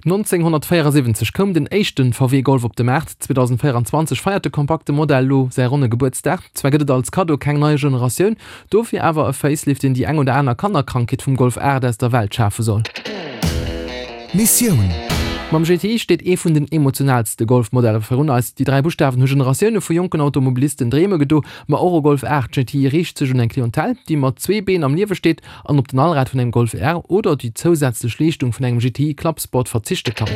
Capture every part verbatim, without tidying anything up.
nonzénghonnertvéierasiwwenzeg koum den éischte V W Golf op de Maart. zweedausendvéieranzwanzeg feiert de kompakte Modell elo säi ronne Gebuertsdag. Zwar gëtt et als Kaddo keng nei Generatioun, dofir awer e Facelift, deen déi eng oder aner Kannerkrankheet vum Golf aacht aus der Welt schafe soll. Missioun. Mam G T I steet ee vun den emotionaalste Golf-Modeller virun eis. Déi dräi Buschtawen hu Generatioune vu jonken Automobilisten Dreeme gedo, ma och e Golf aacht G T I riicht sech un eng Clientèle, déi mat zwee Been am Liewe steet an op den Allrad vun engem Golf R oder déi zousätzlech Leeschtung vun engem G T I Clubsport verzichte kann.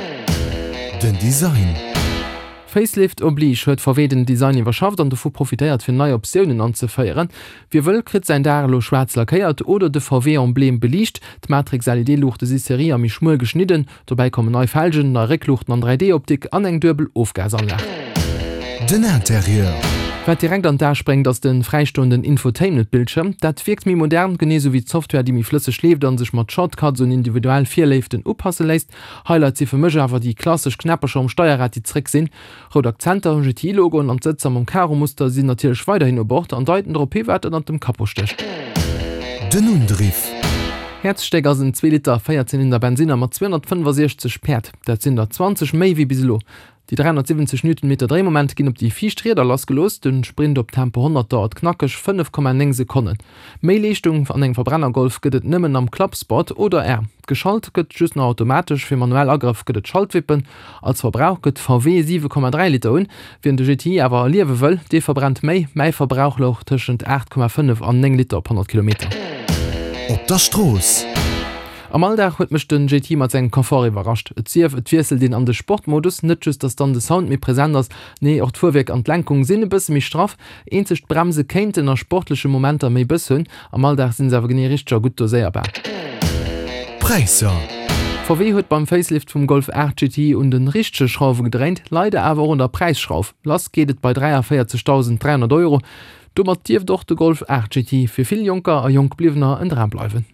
Den Design. Facelift oblige huet V W den Design iwwerschafft an dovu profitéiert fir nei Optiounen anzeféieren. Wie wëll, kritt säin Daach elo schwaarz lackéiert oder de V W-Emblem beliicht. D'Matrix-L E D-Luuchte si Serie a méi schmuel geschnidden. Dobäi kommen nei Felgen, nei Réckluuchten an dräi D-Optik an eng duebel Ofgasanlag. Den Interieur. Wat direkt an d'A spréngt, ass de fräistoenden Infotainment-Bildschierm. Dat wierkt méi modern, genee sou wéi d'Software, déi méi flësseg leeft a sech mat Shortcuts un individuell Virléiften upasse léisst. Highlight si fir mech awer déi klassesch Knäppercher um Steierrad, déi zréck sinn. Rout Akzenter, G T I-Logoen an d'Sëtzer mam Karo-Muster sinn natierlech weiderhin u Bord an deiten drop hi wat ënnert dem Capot stécht. Den Undriff. Häerzstéck ass en zwee Liter Véierzylinder Bensinner mat zweehonnertfënnefasiechzeg Päerd. Dat sinn der zwanzeg méi wéi bis elo. Déi dräihonnertsiwwenzeg Newtonmeter Dréimoment ginn op déi viischt Rieder lassgelooss, de Sprint op Tempo honnert dauert knackeg fënnef Komma néng Sekonnen. Méi Leeschtung an engem Verbrenner-Golf gëtt et nëmmen am Clubsport oder R. Geschalt gëtt just nach automatesch, fir manuell Agrëff gëtt et Schaltwippen. Als Verbrauch gëtt V W siwe Komma dräi Liter un. Wien de G T I awer erliewe wëll, dee verbrennt méi, mäi Verbrauch louch tëschent aacht Komma fënnef an néng Liter op honnert Kilometer. Op der Strooss. Am Alldag huet mech den G T I mat sengem Confort iwwerrascht. Et sief, et wiesselt een an de Sportmodus, net just dass dann de Sound méi present ass, nee och d'Fuerwierk an d'Lenkung sinn e bësse méi straff. Eenzeg d'Bremse kéinten a sportleche Momenter méi Bëss hunn, am Alldag sinn se awer genee richteg a gutt doséierbar. Präisser. V W huet beim Facelift vum Golf aacht G T I un de richtege Schrauwe gedréint, leider awer och un der Präisschrauf. Lass geet et bei dräiavéierzegdausend dräihonnert Euro. Domat dierft och de Golf aacht G T I fir vill Jonker a Jonkbliwwener en Dram bleiwen.